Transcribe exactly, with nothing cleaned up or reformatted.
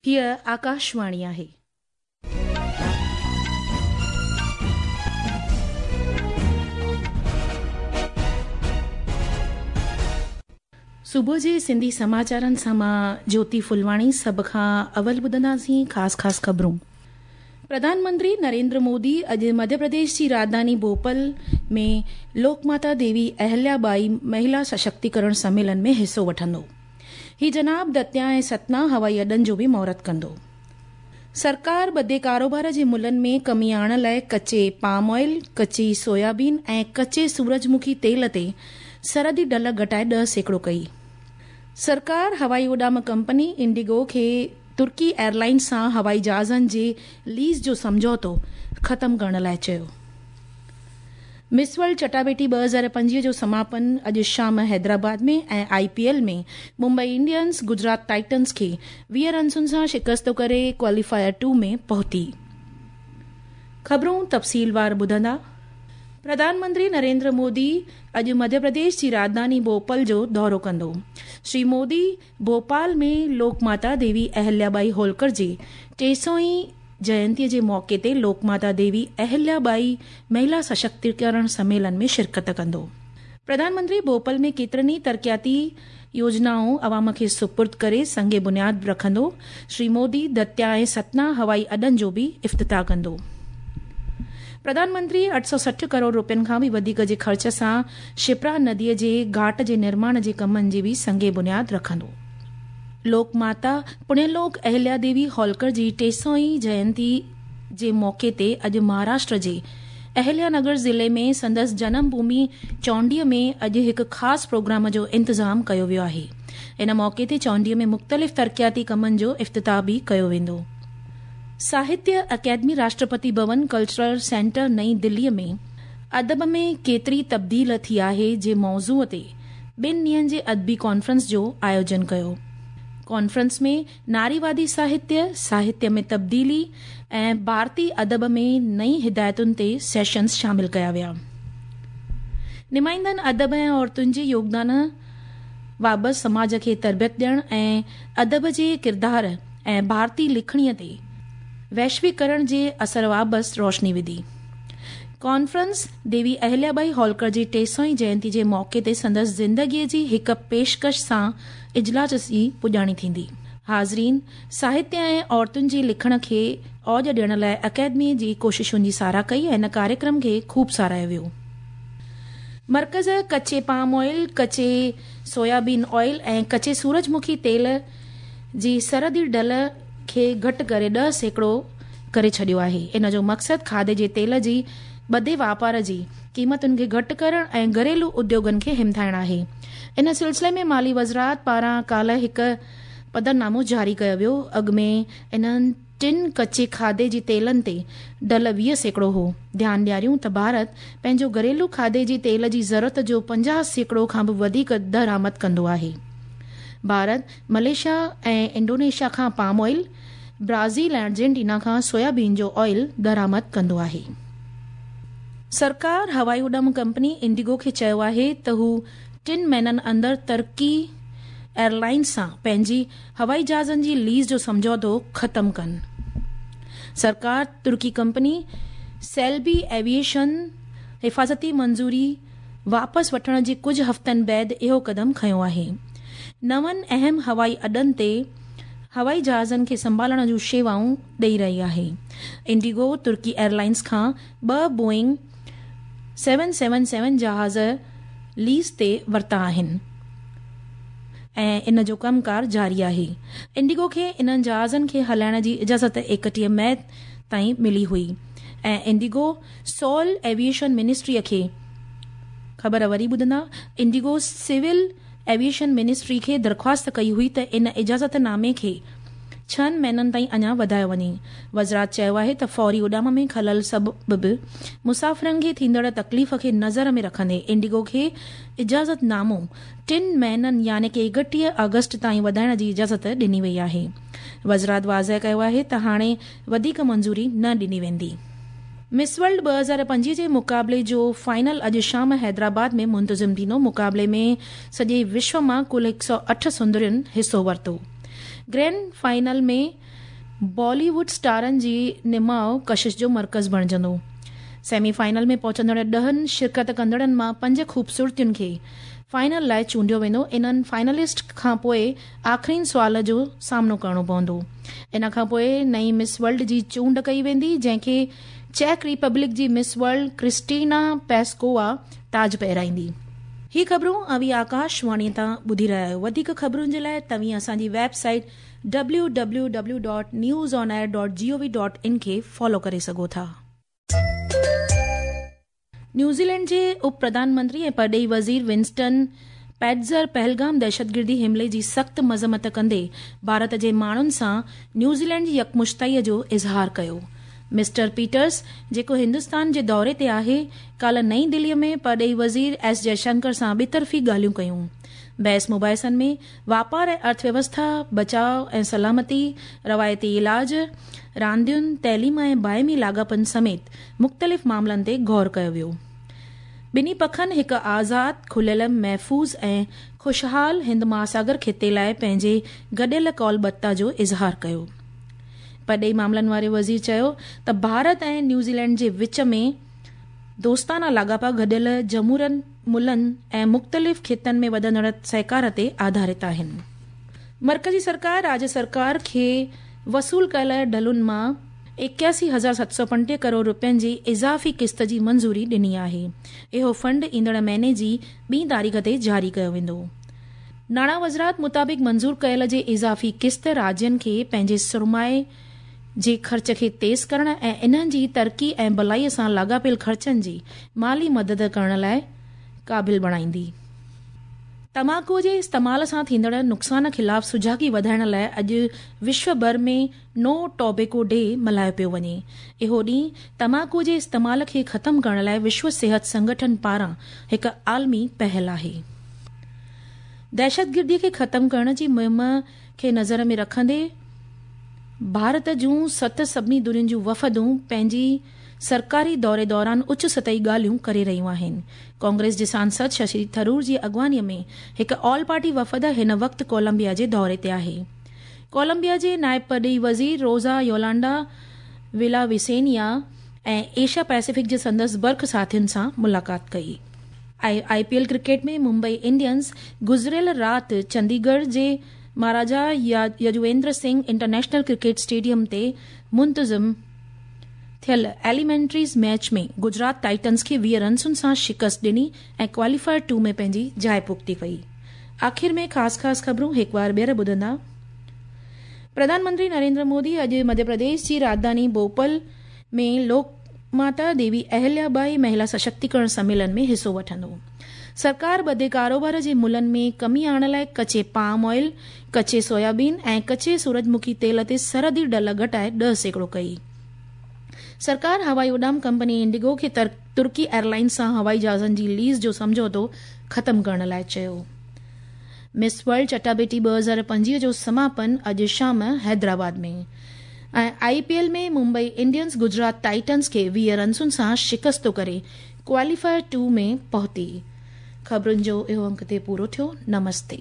हीअ आकाशवाणी आहे. सुबुह जे सिंधी समाचारनि सां मां ज्योति फुलवाणी। सभ खां अवल ॿुधंदासीं ख़ासि ख़ासि ख़बरूं। प्रधानमंत्री नरेंद्र मोदी अॼु मध्य प्रदेश जी राजधानी भोपाल में लोकमाता देवी अहिल्याबाई महिला सशक्तिकरण सम्मेलन में हिसो वठंदो। ही जनाब दतिया ऐं सतना हवाई अॾनि जो बि मुहूर्त कंदो। सरकार बदे कारोबार जे मुल्हनि में कमी आणण लाइ कच्चे पाम ऑयल, कच्ची सोयाबीन ऐं कच्चे सूरजमुखी तेल ते सरहदी ढल घटाए ॾह सैकड़ो कई। सरकार हवाई उॾाम कंपनी इंडिगो खे तुर्की एयरलाइंस सां हवाई जहाज़नि जे लीज़ जो सम्झौतो ख़तमु करण लाइ चयो। मिस वर्ल्ड चटाबेटी ॿ हज़ार पंजवीह जो समापन अॼु शाम हैदराबाद में ऐं I P L में मुंबई इंडियंस गुजरात टाइटन्स खे वीह रनसुनि सां शिकस्त करे क्वालीफायर टू में पहुती। ख़बरूं तफ़सीलवार ॿुधंदा। प्रधानमंत्री नरेंद्र मोदी अॼु मध्य प्रदेश जी राजधानी भोपाल जो दौरो कंदो। श्री मोदी भोपाल में लोकमाता देवी अहिल्याबाई होलकर जे टे सौ जयंतीअ जे मौक़े ते लोकमाता देवी अहिल्याबाई महिला सशक्तिकरण सम्मेलन में शिरकत कंदो। प्रधानमंत्री भोपाल में केतिरनि ई तरक़ियाती योजनाऊं अवाम खे सुपुर्द करे संग बुनियाद रखंदो। श्री मोदी दतिया ऐं सतना हवाई अॾनि जो बि इफ़्तिताह कंदो। प्रधानमंत्री अठ सौ सठि करोड़ रुपयनि खां बि वधीक जे ख़र्च सां शिप्रा नदीअ जे घाट जे निर्माण जे कमनि जी बि संग बुनियाद रखंदो। लोकमाता पुण्यलोक अहिल्या देवी होलकर जी टे सौ जयंती जे मौक़े ते अॼु महाराष्ट्र जे अहिल्यानगर ज़िले में संदसि जनम भूमि चौंडीअ में अॼु हिकु ख़ासि प्रोग्राम जो इंतज़ामु कयो वियो आहे। इन मौक़े ते चौंडीअ में मुख़्तलिफ़ तरक़ियाती कमनि जो इफ़्तिताह बि कयो वेंदो। साहित्य अकेदमी राष्ट्रपति भवन कल्चरल सेंटर नई दिल्लीअ में अदब में केतिरी तब्दील थी आहे जे मौज़ूअ ते ॿिनि ॾींहनि जे अदबी कॉन्फ्रेंस जो आयोजन कयो। कॉन्फ्रेंस में नारीवादी साहित्य, साहित्य में तब्दीली ऐं भारतीय अदब में नई हिदायतुनि ते सेशन्स शामिल कया विया। नुमाइंदनि अदब ऐं औरतुनि जे योगदान बाबति समाज खे तरबियत ॾियण ऐं अदब जे किरदार ऐं भारतीय लिखणीअ ते वैश्वीकरण जे असर बाबति रोशनी विधी। कॉन्फ्रेंस देवी अहिल्याबाई होलकर जी टे सौ जयंती जे मौक़े ते संदसि ज़िंदगीअ जी हिकु पेशकश सां इजलास जी पुॼाणी थींदी। हाज़रीन साहित्य ऐं औरतुनि जे लिखण खे औज ॾियण लाइ अकेदमी जी कोशिशुनि जी सराह कई ऐं इन कार्यक्रम खे ख़ूब सराहियो वियो। मर्कज़ कच्चे पाम ऑयल, कच्चे सोयाबीन ऑयल ऐं कच्चे सूरजमुखी तेल जी सरहदी ढल खे घटि करे ॾह सैकड़ो करे छॾियो आहे। इन जो मक़सदु खाधे जे तेल जी बदे वापार जी क़ीमतुनि खे घटि करण ऐं घरेलू उद्योगनि खे हिमथाइण आहे। इन सिलसिले में माली वज़ारत पारां काल्ह हिकु पधरनामो जारी कयो वियो। अॻु में इन्हनि टिनि कच्चे खाधे जे तेलनि ते ढल वीह सैकड़ो हो। ध्यानु ॾियारियूं त भारत पंहिंजो घरेलू खाधे जे तेल जी ज़रूरत जो पंजाह सैकड़ो खां बि वधीक दरामद कंदो आहे। भारत मलेशिया ऐं इंडोनेशिया खां पाम ऑयल, ब्राज़ील ऐं अर्जेंटीना खां सोयाबीन जो ऑयल दरामद कंदो आहे। सरकार हवाई उॾाम कंपनी इंडिगो खे चयो आहे त हू टिनि महीननि अंदरि तुर्की एयरलाइंस सां पंहिंजी हवाई जहाज़नि जी लीज़ जो सम्झौतो ख़तमु कनि। सरकार तुर्की कंपनी सेल्बी एविएशन हिफ़ाज़ती मंज़ूरी वापसि वठण जे कुझु हफ़्तनि बाद इहो क़दम खयो आहे। नवनि अहम हवाई अॾनि ते हवाई जहाज़नि खे संभालण जूं शेवाऊं ॾेई रही आहे। इंडिगो तुर्की एयरलाइंस खां ॿ बोइंग सेवन सेवन सेवन जहाज़ लीज़ ते वरिता आहिनि ऐं इन जो कमकार जारी आहे। इंडिगो खे इन्हनि जहाज़नि खे हलाइण जी इजाज़त एकटीह मई ताईं मिली हुई ऐं इंडिगो सोल एविएशन मिनिस्ट्रीअ खे ख़बर वरी ॿुधंदा। इंडिगो सिविल एविएशन मिनिस्ट्री खे दरख़्वास्त कई हुई त इन इजाज़त नामे खे छहनि महीननि ताईं अञा वधायो वञे। वज़ारत चयो आहे त फौरी उॾाम में ख़लल सबबु मुसाफ़िरनि खे थींदड़ तकलीफ़ खे नज़र में रखंदे इंडिगो खे इजाज़त नामो टिनि महीननि यानी की एकटीह अगस्त ताईं वधाइण जी इजाज़त ॾिनी वई आहे। वज़ारत वाज़ेह कयो आहे त हाणे वधीक मंज़ूरी न ॾिनी वेंदी। मिस वर्ल्ड ॿ हज़ार पंजवीह जे मुक़ाबले जो फाइनल अॼु शाम हैदराबाद में मुंतज़िम थींदो। मुक़ाबले में सॼे विश्व मां कुल हिकु सौ अठ सुंदरियुनि हिसो वरितो। ग्रैंड फाइनल में بالي ووڊ اسٽارن جي نماءُ ڪشش جو مرڪز بڻجندو. سيمي فائنل ۾ پهچندڙ ڏهن شرڪت ڪندڙن مان پنج خوبصورتين کي فائنل لاءِ چونڊيو ويندو. انهن فائنلسٽ کان پوءِ آخرين سوال جو سامنو ڪرڻو پوندو. ان کان پوءِ نئين مس ورلڊ جي چونڊ ڪئي ويندي، جنهن کي چيڪ ريپبلڪ جي مس ورلڊ ڪرسٽينا پيسڪووا تاج پهرائيندي. هي خبرون اوهين آڪاشواڻي تان ٻڌي رهيا آهيو. وڌيڪ خبرن جي لاءِ توهين اسان جي website W W W dot news on air dot G O V dot in کي فالو ڪري سگهو ٿا. نيوزيلينڊ جي اپ پرڌان منتري ۽ پرڏيهي وزير ونسٽن پيٽزر پهلگام دهشتگردي حملي جي سخت مذمت ڪندي ڀارت جي ماڻهن سان نيوزيلينڊ جي يڪمشتائي جو اظهار ڪيو. مسٽر پيٽرس، جيڪو هندستان جي دوري تي آهي، ڪالهه نئين دلي ۾ پرڏيهي وزير ايس جئشنڪر سان ٻطرفي ڳالهيون ڪيون. بحث مباحثن ۾ واپار ۽ ارٿويوسٿا، بچاءُ ۽ سلامتي، روايتي علاج، راندين، تعليم ۽ باهمي لاڳاپن سميت مختلف معاملن تي غور ڪيو ويو. ٻنهي پکن هڪ آزاد، کليل، محفوظ ۽ خوشحال هند مهاساگر خطي لاءِ پنهنجي گڏيل ڪالبتا جو اظهار ڪيو. پرڏيهي معاملن واري وزير چيو ته ڀارت ۽ نيوزيلينڊ جي وچ ۾ دوستانا لاڳاپا گڏيل جمهورين ملن ۽ مختلف خطن ۾ وڌندڙ سهڪار تي آڌارت آهن. مرڪزي سرڪار راجيه سرڪار کي وصول ڪيل ڍلن مان ايڪياسي هزار ست سؤ پنجٽيهه ڪروڙ رپين جي اضافي قسط جي منظوري ڏني آهي. اهو فنڊ ايندڙ مهيني جي ٻي تاريخ تي جاري ڪيو ويندو. ناڻا وزارت مطابق منظور ڪيل جي اضافي قسط راجين کي پنهنجي سرمائي جي خرچ کي تيز ڪرڻ ۽ انهن جي ترقي ۽ ڀلائي سان لاڳاپيل خرچن جي مالي مدد ڪرڻ لاءِ قابل بڻائيندي. تماڪوءَ جي استعمال سان ٿيندڙ نقصان خلاف سجاڳي وڌائڻ لاءِ اڄ وشو ڀر ۾ نو ٽوبيڪو ڊي ملهايو پيو وڃي. اهو ڏينهن تماڪوءَ جي استعمال کي ختم ڪرڻ لاءِ وشو صحت سنگٺن پاران هڪ عالمي پهل آهي. دهشتگردي کي ختم ڪرڻ جي مهم کي نظر ۾ رکندي ڀارت جون ست سڀني ڌرين جون وفدون پنهنجي سرڪاري دوري دوران اچ سطحي ڳالهيون ڪري رهيون آهن. ڪانگريس جي سانسد ششي ٿرور جي اڳواڻيءَ ۾ هڪ آل پارٽي وفد هن وقت ڪولمبيا جي دوري تي آهي. ڪولمبيا جي نائب پرڏيهي وزير روزا يولانڊا ولا وسينيا ۽ ايشيا پيسفڪ جي سندس برک ساٿين سان ملاقات ڪئي. I P L cricket ۾ Mumbai Indians گذريل رات چنديڳڙهه جي Maharaja Yadavindra Singh international cricket stadium تي منتظم ٿيل ايليمينٽريز ميچ ۾ گجرات ٽائٽنز کي ويهه رنسن سان شڪست ڏني ۽ ڪواليفائر ٽو ۾ پنهنجي جاءِ پختي ڪئي. آخر ۾ خاص خاص خبرون هڪ بار ٻيهر ٻڌندا. پرڌان منتري نريندر مودي اڄ مڌيه پرديش جي راڄڌاني ڀوپال ۾ لوڪ ماتا ديوي اهليا ٻائي مهلا سشڪتيڪرڻ سميلن ۾ حصو وٺندو. سرڪار ٻڌي ڪاروبار جي ملهن ۾ ڪمي آڻڻ لاءِ ڪچي پام آئل، ڪچي سويابين ۽ ڪچي سورجمکي تيل تي سرحدي ڍل گهٽائي ڏهه سيڪڙو ڪئي. سرڪار هوائي اڏام ڪمپني انڊيگو کي ترڪي ايئرلائن سان هوائي جهازن جي ليز جو سمجهوتو ختم ڪرڻ لاءِ چيو. مس ورلڊ چٽاڀيٽي ٻه هزار پنجويهه جو سماپن اڄ شام Hyderabad ۾. ۽ I P L ۾ Mumbai Indians Gujarat Titans کي ويهه رنسن سان شڪست ڪري ڪواليفائر ٽو ۾ پهتي. خبرن جو اهو انڪ تي پورو ٿيو. نمستي.